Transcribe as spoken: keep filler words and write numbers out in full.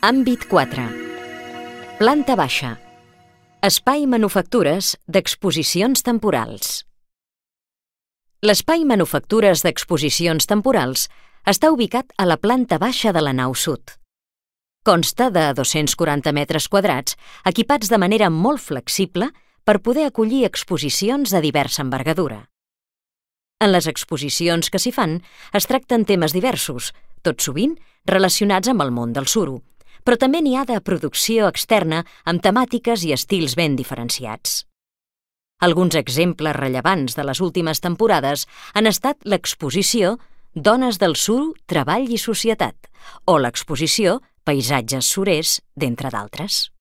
Àmbit quatre. Planta baixa. Espai Manufactures d'exposicions temporals. L'espai Manufactures d'exposicions temporals està ubicat a la planta baixa de la nau sud. Consta de dos-cents quaranta metres quadrats equipats de manera molt flexible per poder acollir exposicions de diversa envergadura. En les exposicions que s'hi fan es tracten temes diversos, tot sovint relacionats amb el món del suro, però també n'hi ha de producció externa amb temàtiques i estils ben diferenciats. Alguns exemples rellevants de les últimes temporades han estat l'exposició Dones del suro, treball i societat o l'exposició Paisatges surers, d'entre d'altres.